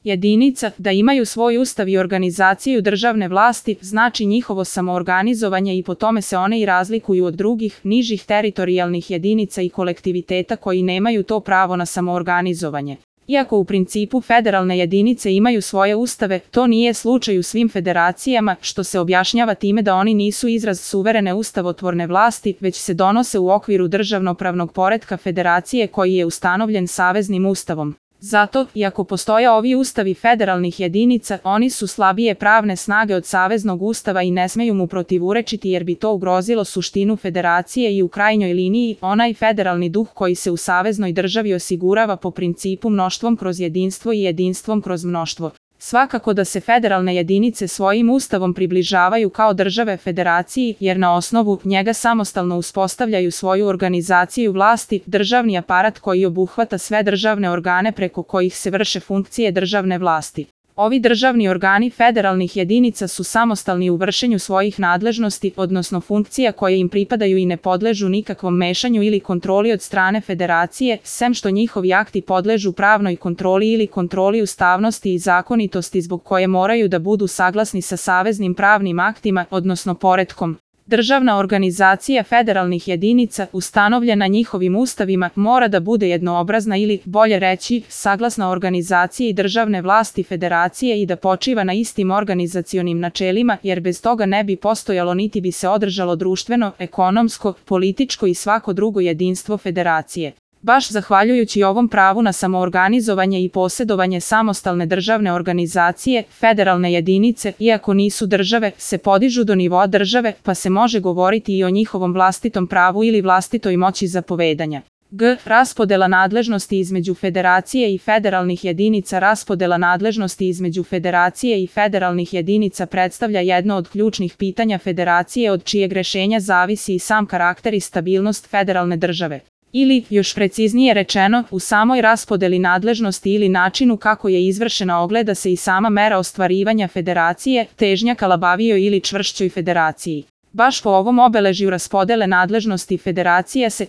jedinica, da imaju svoj ustav i organizaciju državne vlasti, znači njihovo samoorganizovanje i po tome se one i razlikuju od drugih, nižih teritorijalnih jedinica i kolektiviteta koji nemaju to pravo na samoorganizovanje. Iako u principu federalne jedinice imaju svoje ustave, to nije slučaj u svim federacijama, što se objašnjava time da oni nisu izraz suverene ustavotvorne vlasti, već se donose u okviru državnopravnog poretka federacije koji je ustanovljen saveznim ustavom. Zato, iako postoje ovi ustavi federalnih jedinica, oni su slabije pravne snage od saveznog ustava i ne smeju mu protivurečiti jer bi to ugrozilo suštinu federacije i u krajnjoj liniji onaj federalni duh koji se u saveznoj državi osigurava po principu mnoštvom kroz jedinstvo i jedinstvom kroz mnoštvo. Svakako da se federalne jedinice svojim ustavom približavaju kao države federaciji, jer na osnovu njega samostalno uspostavljaju svoju organizaciju vlasti, državni aparat koji obuhvata sve državne organe preko kojih se vrše funkcije državne vlasti. Ovi državni organi federalnih jedinica su samostalni u vršenju svojih nadležnosti, odnosno funkcija koje im pripadaju i ne podležu nikakvom mešanju ili kontroli od strane federacije, sem što njihovi akti podležu pravnoj kontroli ili kontroli ustavnosti i zakonitosti zbog koje moraju da budu saglasni sa saveznim pravnim aktima, odnosno poretkom. Državna organizacija federalnih jedinica, ustanovljena njihovim ustavima, mora da bude jednoobrazna ili, bolje reći, saglasna organizaciji državne vlasti federacije i da počiva na istim organizacionim načelima, jer bez toga ne bi postojalo niti bi se održalo društveno, ekonomsko, političko i svako drugo jedinstvo federacije. Baš zahvaljujući ovom pravu na samoorganizovanje i posjedovanje samostalne državne organizacije, federalne jedinice, iako nisu države, se podižu do nivoa države, pa se može govoriti i o njihovom vlastitom pravu ili vlastitoj moći zapovedanja. Raspodela nadležnosti između federacije i federalnih jedinica. Raspodela nadležnosti između federacije i federalnih jedinica predstavlja jedno od ključnih pitanja federacije od čijeg rešenja zavisi i sam karakter i stabilnost federalne države. Ili, još preciznije rečeno, u samoj raspodeli nadležnosti ili načinu kako je izvršena ogleda se i sama mera ostvarivanja federacije, težnja ka labavijoj ili čvršćoj federaciji. Baš po ovom obeležju raspodele nadležnosti federacija se,